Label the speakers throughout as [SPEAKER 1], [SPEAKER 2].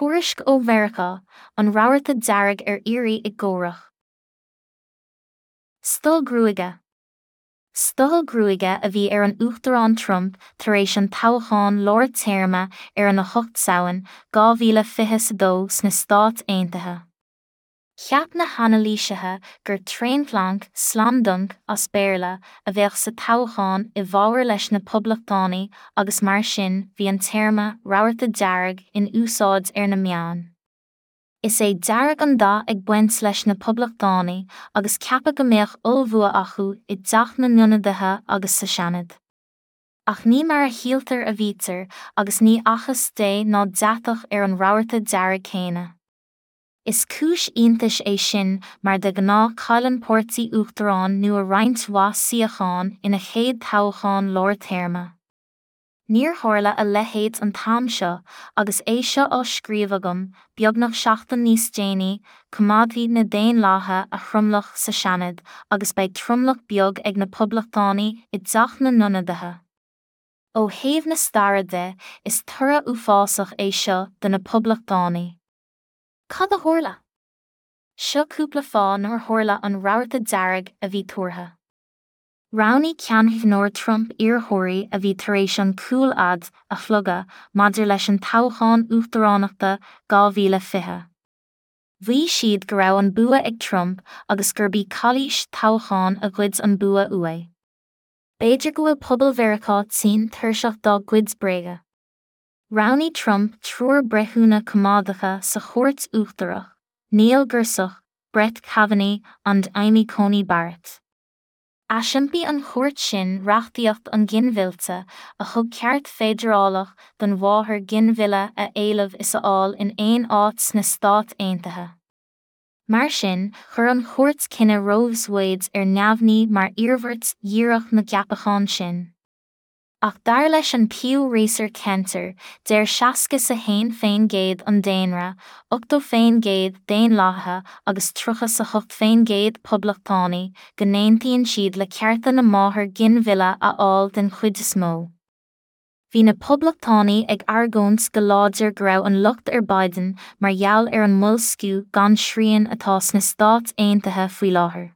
[SPEAKER 1] Tuairisc ó Mheiriceá, An rabharta dearg ar iarraidh i gcomhrac. Stoill gruaige. Stoill gruaige a bhí ar an Uachtarán Trump tar éis an toghcháin lár téarma ar an 8 Samhain, 2022 sna Stáit Aontaithe. Cheap na hanailísithe gur tréanphlanc, slam dunk as Béarla, a bheadh sa toghchán i bhfabhar leis na Poblachtánaigh agus mar sin bhí an téarma 'rabharta dearg' in úsáid ar na meáin. Is é dearg an dath ag baint leis na Poblachtánaigh agus ceapadh go mbeadh ollbhua acu i dTeach na nIonadaithe agus sa Seanad. Ach ní mar a shíltear a bhítear agus ní fhacthas dé ná deatach ar an rabharta dearg céanna. Is cúis iontais é sin mar de ghnáth cailleann páirtí uachtaráin nua roinnt mhaith suíochán ina chéad toghchán lár téarma. Níor tharla a leithéid an t-am seo agus é seo á scríobh agam, beagnach seachtain níos déanaí, coimeádfaidh na Daonlathaithe a thromlach sa Seanad agus beidh tromlach beag ag na Poblachtánaigh i dTeach na nIonadaithe. Ó thaobh na staire de, is toradh uafásach é seo do na Poblachtánaigh. Cad a tharla? Seo cúpla fáth nár tharla an rabharta dearg a bhí tuartha. Roghnaigh ceanncheathnóir Trump iarrthóirí a bhí tar éis an cúl fhad a shlogadh maidir leis an toghchán uachtaránachta 2020. Mhaígh siad go raibh an bua ag Trump agus gurb í calaois toghcháin a ghoid an bua uaidh. B'fhéidir go bhfuil pobal Mheiriceá tinn tuirseach dá gcuid bréaga. Roghnaigh Trump triúr breithiúna coimeádacha sa Chúirt Uachtarach, Neil Gorsuch, Brett Kavanaugh and Amy Coney Barrett. Aisiompaigh an chúirt sin reachtaíocht an ghinmhillte, a thug ceart feidearálach don mháthair ginmhilleadh a éileamh is a fháil in aon áit sna Stáit Aontaithe. Mar sin, chuir an chúirt cinneadh Roe vs Wade ar neamhní mar iarmhairt dhíreach na gceapachán sin. Ach dar leis an Pew Research Center, deir 61% an daonra, 80% Daonlathaithe agus 38% Poblachtánaigh, go n-aontaíonn siad le cearta na máthar ginmhilleadh a fháil den chuid is mó. Bhí na Poblachtánaigh ag argóint go láidir go raibh an locht ar Biden mar gheall ar an mboilsciú gan srian atá sna Stáit Aontaithe faoi láthair.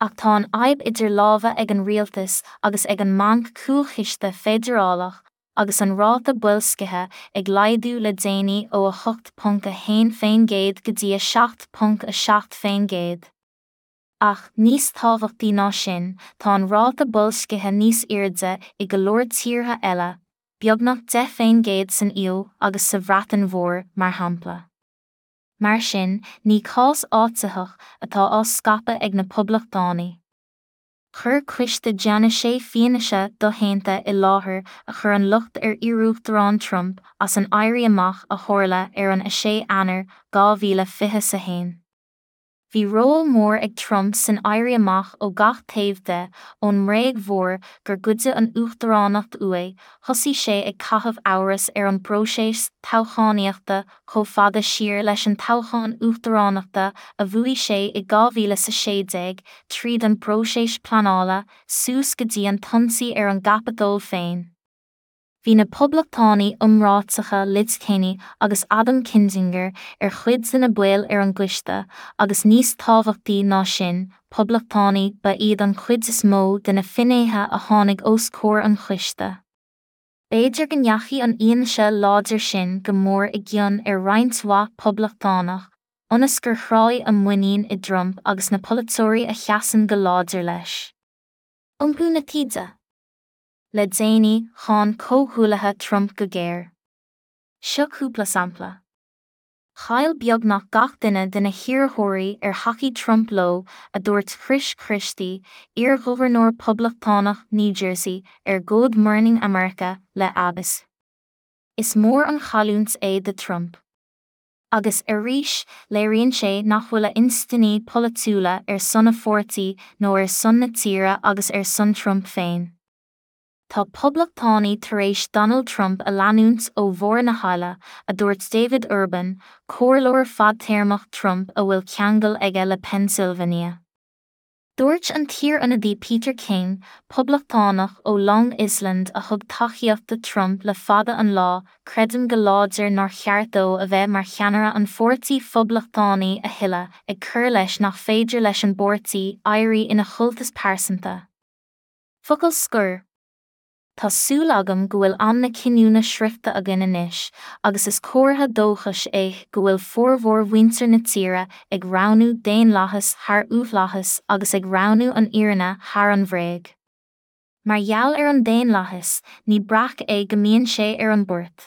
[SPEAKER 1] Ach tá an fhadhb idir lámha ag an rialtas agus ag an mBanc Cúlchiste Feidearálach agus an ráta boilscithe ag laghdú le déanaí ó 8.1% go dtí 7.7%. Ach, níos tábhachtaí ná sin, tá an ráta boilscithe níos airde i go leor tíortha eile, beagnach 10% san EU agus sa Bhreatain Mhór, mar shampla. Mar sin, ní cás áititheach atá á scaipeadh ag na Poblachtánaigh. Chuir coiste Geanaise fianaise doshéanta i láthair a chuir an locht ar iarUachtarán Trump as an éirí amach a tharla ar an 6 Eanáir 2021. Bhí ról mór ag Trump san éirí amach ó gach taobh de, ón mbréag mhór gur goideadh an uachtaránacht uaidh, thosaigh sé ag caitheamh amhras ar an bpróiseas toghchánaíochta chomh fada siar leis an toghchán uachtaránachta a bhuaigh sé i 2016, tríd an bpróiseas pleanála, suas go dtí an t-ionsaí ar an gCaipeatól féin. Bhí na Poblachtánaigh iomráiteacha Liz Cheney agus Adam Kinzinger ar chuid de na baill ar an gcoiste, agus níos tábhachtaí ná sin, Poblachtánaigh ba iad an chuid is mó de na finnéithe a tháinig os comhair an choiste. B'fhéidir go ndeachaigh an fhianaise láidir sin go mór i gcion ar roinnt mhaith Poblachtánach, ionas gur thráigh a muinín i dTrump agus na polaiteoirí a sheasann go láidir leis. Iompú na taoide. Le déanaí, cháin comhghuaillithe Trump go géar. Seo cúpla sampla. Chaill beagnach gach duine de na hiarrthóirí ar thacaigh Trump leo, a dúirt Chris Christie, iarghobharnóir Poblachtánach New Jersey, ar Good Morning America le ABC. Is mór an chailliúint é do Trump. Agus, arís, léiríonn sé nach bhfuil a instinní polaitiúla ar son a pháirtí nó ar son na tíre agus ar son Trump féin. Tá poblachtánaigh tar éis Donald Trump a leanúint ó bharr na haille, a dúirt David Urban, comhairleoir fadtéarmach Trump a bhfuil ceangal aige le Pennsylvania. Dúirt an t-iar-ionadaí Peter King, Poblachtánach ó Long Island a thug tacaíocht do Trump le fada an lá, Creidim go láidir nár cheart dó a bheith mar cheannaire an Pháirtí Phoblachtánaigh a thuilleadh, ag cur leis nach féidir leis an bpáirtí éirí ina chultas pearsanta. Focal scoir. Tá súil agam go bhfuil am na cinniúna sroichte againn anois, agus is comhartha dóchais é go bhfuil formhór mhuintir na tíre ag roghnú daonlathas thar uathlathas agus ag roghnú an fhírinne thar an bhréag. Mar gheall ar an daonlathas, ní breac é go mbíonn sé ar an bport.